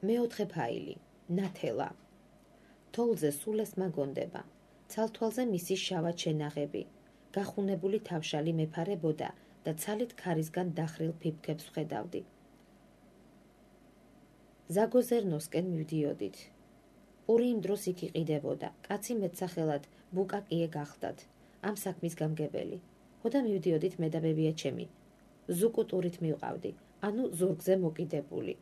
მეოთხე ფაილი. ნათელა. თოვლზე სულეს მაგონდება. ცალთვალზე მისი შავად შენაღები. გახუნებული თავშალი მეფარებოდა და ცალით ქარისგან დახრილ ფიფქებს ვხედავდი. ზაგოზერნოსკენ მივდიოდით. პური იმ დროს იქ იყიდებოდა. კაცი მეტსახელად ბუკაკიე გახდათ. ამ საქმის გამგებელი. ხოდა მივდიოდით მე და ბებიაჩემი. ზუკუტურით მივყავდი, ანუ ზურგზე მოკიდებული.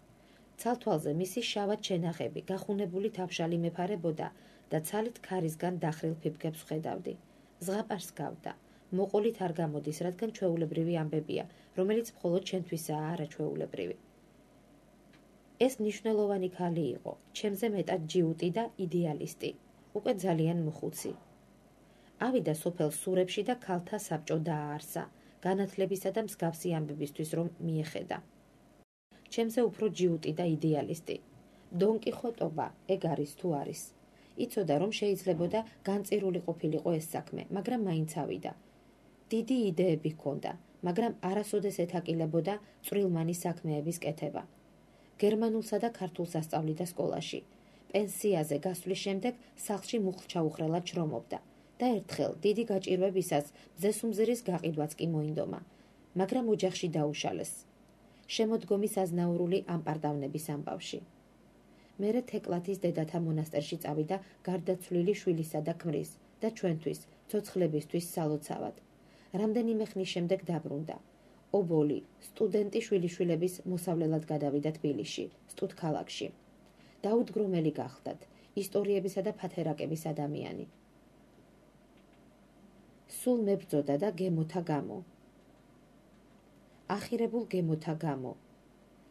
ცალთვალზე მისი შავად შენაღები, გახუნებული თავშალი მეფარებოდა და ცალით ქარისგან დახრილ ფიფქებს ვხედავდი. ზღაპარს გავდა. მოყოლით არ გამოდის, რადგან ჩვეულებრივი ამბებია, რომელიც მხოლოდ ჩვენთვისაა არაჩვეულებრივი. ეს მნიშვნელოვანი ქალი იყო, ჩემზე მეტად ჯიუტი და იდეალისტი, უკვე ძალიან მოხუცი. ავიდა სოფელ სურებში და ქალთა საბჭო დააარსა, განათლებისა და მსგავსი ამბებისთვის რომ მიეხედა. ჩემზე უფრო ჯიუტი და იდეალისტი. დონკიხოტობა ეგ არის თუ არის. იცოდა რომ შეიძლებოდა განწირული ყოფილიყო ეს საქმე, მაგრამ მაინც ავიდა. დიდი იდეები ჰქონდა, მაგრამ არასოდეს ეთაკილებოდა წვრილმანი საქმეების კეთება. გერმანულსა და ქართულს ასწავლიდა სკოლაში. პენსიაზე გასვლის შემდეგ სახლში მუხლჩაუხრელად შრომობდა და ერთხელ დიდი გაჭირვებისას მზესუმზირის გაყიდვაც კი მოინდომა, მაგრამ ოჯახში დაუშალეს. შემოდგომის აზნაურული ამპარდავნების ამბავში. მერე თეკლათის დედათა მონასტერში წავიდა გარდაცვლილი შვილისა და ქმრის და ჩვენთვის, ცოცხლებისთვის სალოცავად. რამდენიმე ხნის შემდეგ დაბრუნდა. ობოლი, სტუდენტი შვილიშვილების მოსავლელად გადავიდა თბილისში, სტუდქალაქში. დაუდგრომელი გახდათ, ისტორიებისა და ფათერაკების ადამიანი. სულ მებრძოდა და გემოთა გამო. ახირებულ გემოთა გამო.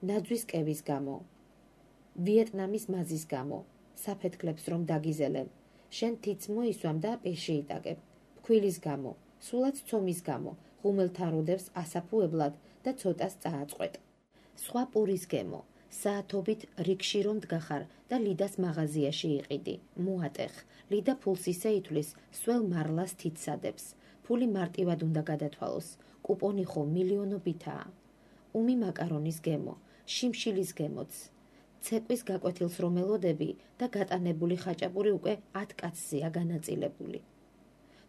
ნაძვის კევის გამო. ვიეტნამის მაზის გამო. საფეთქლებს რომ დაგიზელენ. შენ თიც მოისვამ და პეში იტაკებ. ფქვილის გამო. სულაც ცომის გამო. ღუმელთან როდევს ასაფუებლად და ცოტას წააწყვეტ. სხვა პურის გემო. საათობით რიგში რომ დგახარ და ლიდას მაღაზიაში იყიდი. მოატეხ. ლიდა ფულს ისე ითვლის, სველ მარლას თითსადებს. ფული მარტივად უნდა გადათვალოს. კუპონი ხო მილიონობითაა. უმი მაკარონის გემო. შიმშილის გემოც. ცეკვის გაკვეთილს რომ ელოდები და გატანებული ხაჭაპური უკვე 10 კაცზეა განაწილებული.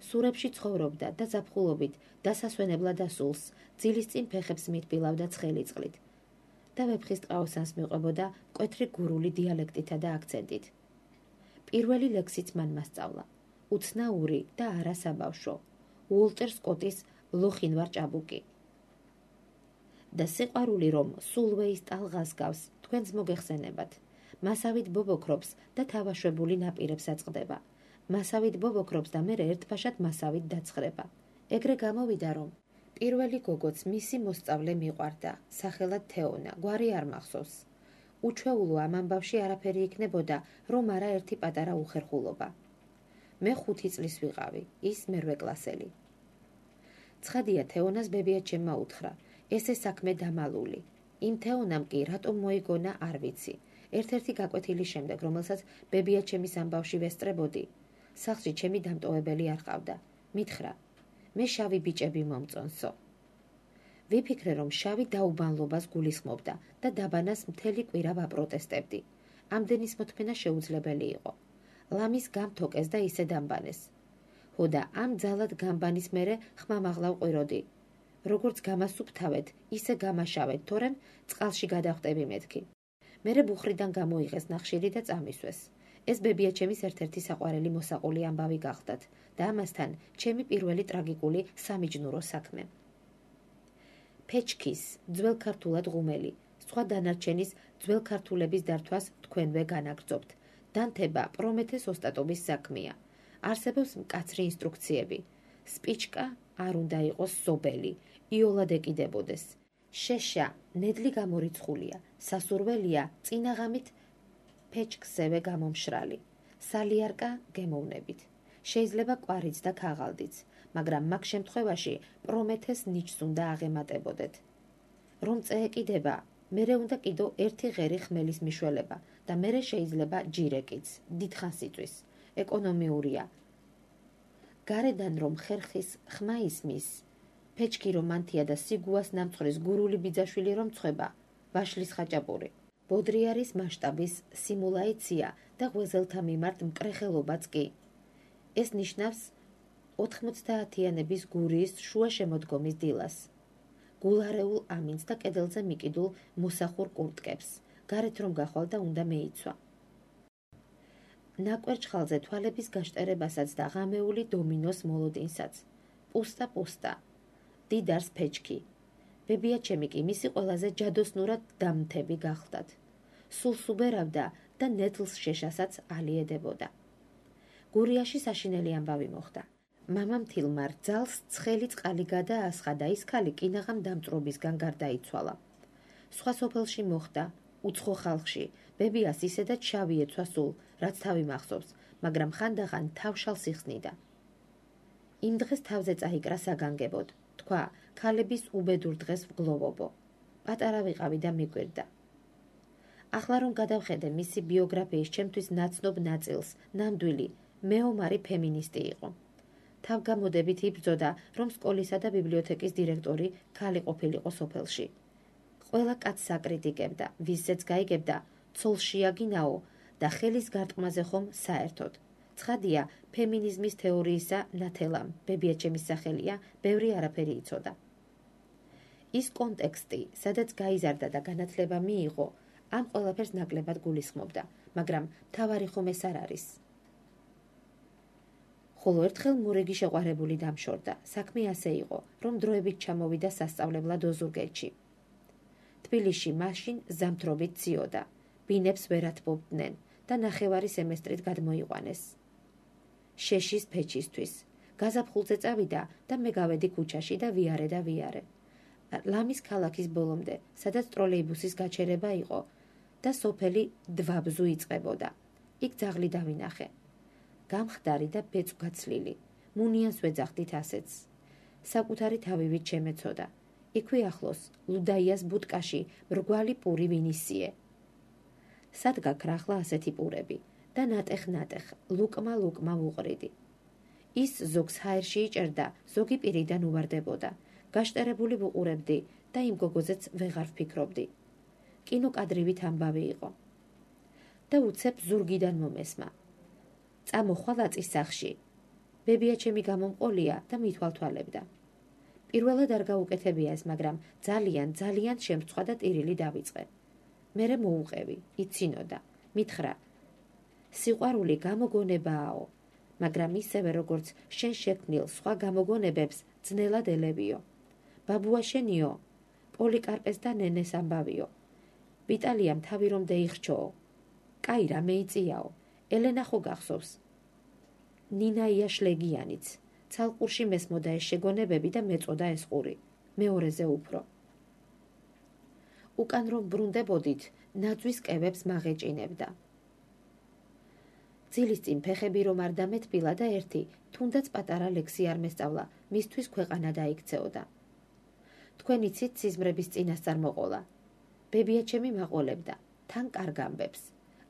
სურებში ცხოვრობდა და ზაფხულობით დასასვენებლად ასულს, ძილის წინ ფეხებს მიტბილავდა ცხელი წყლით და ვეფხის ტყაოსანს მიყვებოდა მკვეთრი გურული დიალექტითა და აქცენტით. პირველი ლექსიც მან მასწავლა. უცნაური და არასაბავშვო. უოლტერ სკოტის ლოხინვარ ჭაბუკი. და სიყვარული რომ სულვეის ტალღას გავს, თქვენს მოგეხსენებათ. მასავით ბობოქრობს და თავაშვებული ნაპირებს აწყდება. მასავით ბობოქრობს და მერე ერთბაშად მასავით დაცხრება. ეგრე გამოვიდა რომ პირველი გოგოც მისი მოსწავლე მიყვარდა, სახელად თეონა, გვარი არ მახსოვს. უჩვეულო ამ ამბავში არაფერი იქნებოდა, რომ არა ერთი პატარა უხერხულობა. მე 5 წლის ვიყავი, ის მერვე კლასელი. ცხადია თეონას ბებიაჩემმა უთხრა, ესე საქმე დამალული. იმ თეონამ კი რატომ მოიგონა არ ვიცი. ერთ-ერთი გაკვეთილის შემდეგ, რომელსაც ბებიაჩემის ამბავში ვესწრებოდი, სახლში ჩემი დამტოვებელი არ ყავდა. მითხრა, მე შავი ბიჭები მომწონსო. ვიფიქრე რომ შავი დაუბანლობას გულისხმობდა და დაბანას მთელი კვირა ვაპროტესტებდი. ამდენის მოთმენა შეუძლებელი იყო. ლამის გამთოკეს და ისე დამბანეს. ხოდა ამ ძალად გამბანის მერე ხმამაღლა ვყვიროდი. როგორც გამასუფთავეთ, ისე გამაშავეთ, თორემ წყალში გადავხტები მეთქი. მერე ბუხრიდან გამოიღეს ნახშირი და წამისვეს. ეს ბებიაჩემის ერთ-ერთი საყვარელი მოსაყული ამბავი გახდათ და ამასთან ჩემი პირველი ტრაგიკული სამიჯნურო საქმე. ფეჩქის, ძველ ქართულად ღუმელი, სხვა დანარჩენის ძველ ქართულების დართვას თქვენვე განაგრძობთ. დანთება პრომეთეს ოსტატობის საქმეა. არსებობს მკაცრი ინსტრუქციები. სპიჩკა არ უნდა იყოს სობელი, იოლად ეკიდებოდეს. შეშა ნედლი გამორიცხულია, სასურველია წინაღამით ფეჩქსევე გამომშრალი. სალიარკა გემოვნებით. შეიძლება კვარიც და ქაღალდიც, მაგრამ მაგ შემთხვევაში პრომეთეს ნიჩს უნდა აღემატებოდეთ. რომ წეეკიდება, მერე უნდა კიდო ერთი ღერი ხმელის მიშველება და მერე შეიძლება ჯირეკიც, დიდხანს იწვის. ეკონომიურია. გარედან რომ ხერხის ხმა ისმის, ფეჩქი რომ ანთია და სიგუას ნამწყრის გურული ბიძაშვილი რომ წვება, ვაშლის ხაჭაპური. ბოდრიარის მასშტაბის სიმულაცია და ღვეზელთა მიმართ მკრეხელობაც კი. ეს ნიშნავს 90-იანების გურიის შუა შემოდგომის დილას. გულარეულ ამინს და კედელზე მიკიდულ მოსახურ კურტკებს, გარეთ რომ გახვალ და უნდა მეიცვა. ნაკვერჩხალზე თვალების გაშტერებასაც და ღამეული დომინოს მოლოდინსაც. პუსტა, დიდარს ფეჩქი. ბებიაჩემი კი მისი ყველაზე ჯადოსნურად დამთები გახლდათ. სულს უბერავდა და ნეთლს შეშასაც ალიედებოდა. გურიაში საშინელი ამბავი მოხდა. მამამ თილმა რძალს ცხელი წყალი გადაასხა და ის ქალი კინაღამ დამწვრობისგან გარდაიცვალა. სხვა სოფელში მოხდა, უცხო ხალხში, ბებიას ისედაც შავი ეცვა სულ, რაც თავი მახსოვს, მაგრამ ხანდახან თავშალს იხსნიდა. იმ დღეს თავზე წაიკრა საგანგებოდ, თქვა, ქალების უბედურ დღეს ვგლოვობო. პატარა ვიყავი და მიკვირდა. ახლა რომ გადავხედე მისი ბიოგრაფიის ჩემთვის ნაცნობ ნაწილს, ნამდვილი, მეომარი ფემინისტი იყო. თავგამოდებით იბრძოდა, რომ სკოლისა და ბიბლიოთეკის დირექტორი ქალი ყოფილიყო სოფელში. ყველა კაცს აკრიტიკებდა, ვისზეც გაიგებდა, ცოლს შეაგინაო და ხელის გარტყმაზე ხომ საერთოდ. ცხადია, ფემინიზმის თეორიისა ნათელამ, ბებიაჩემის სახელია, ბევრი არაფერი იცოდა. ის კონტექსტი, სადაც გაიზარდა და განათლება მიიღო, ამ ყველაფერს ნაკლებად გულისხმობდა, მაგრამ მთავარი ხომ ეს არ არის. ხოლო ერთხელ მორიგი შეყვარებული დამშორდა. საქმე ასე იყო, რომ დროებით ჩამოვიდა სასწავლებლად ოზურგეთში. თბილისში მაშინ ზამთრობით ციოდა, ბინებს ვერ ათბობდნენ და ნახევარი სემესტრით გადმოიყვანეს. შეშის ფეჩისთვის. გაზაფხულზე წავიდა და მე გავედი ქუჩაში და ვიარე. ლამის ქალაქის ბოლომდე, სადაც ტროლეიბუსის გაჩერება იყო და სოფელი დვაბზუ იწყებოდა. იქ ძაღლი დავინახე. გამხდარი და ბეწვგაცლილი. მუნიანს ვეძახდით ასეც. საკუთარი თავივით შემეცოდა. იქვე ახლოს, ლუდაიას ბუტკაში, მრგვალი პური ვინისიე. სად გაქრახლა ასეთი პურები და ნატეხ, ლუკმა ვუყრიდი. ის ზოგს ჰაერში იჭერდა, ზოგი პირიდან უვარდებოდა. გაშტერებული ვუყურებდი და იმ გოგოზეც ვეღარ ვფიქრობდი. კინოკადრივით ამბავი იყო. და უცებ ზურგიდან მომესმა. წამოხვალ აწის სახში. ბებიაჩემი გამომყოლია და მithვალთვალებდა. პირველად არ გაუკეთებია ეს, მაგრამ ძალიან შემწვა და ტირილი დავიწყე. მერე მოუყევი, იცინოდა, მითხრა. სიყვარული გამოგონებააო, მაგრამ ისევე როგორც შენ შექმნილ სხვა გამოგონებებს ძნელად ელევიო. ბაბუა შენიო, პოლიკარპეს და ნენეს ამბავიო. ვიტალიამ თავი რომ დაიხრჩოო. კაი რა მეიწიაო, ელენა ხო გახსოვს. ნინაია შლეგიანიც. ცალყურში მესმოდა ეს შეგონებები და მეწოდა ეს ყური. მეორეზე უფრო. უკან რომ ბრუნდებოდით, ნაძვის კევებს მაღეჭინებდა. ძილის წინ ფეხები რომ არ დამეთბილა და ერთი, თუნდაც პატარა ლექსი არ მესწავლა, მისთვის ქვეყანა დაიქცეოდა. თქვენ იცით სიზმრების წინასწარ მოყოლა. ბებიაჩემი მაყოლებდა, თან კარგ ამბებს.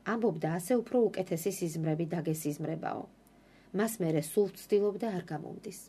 ამბობდა ასე უფრო უკეთესი სიზმრები დაგესიზმრებაო. მას მერე სულ ვცდილობდა არ გამომდის.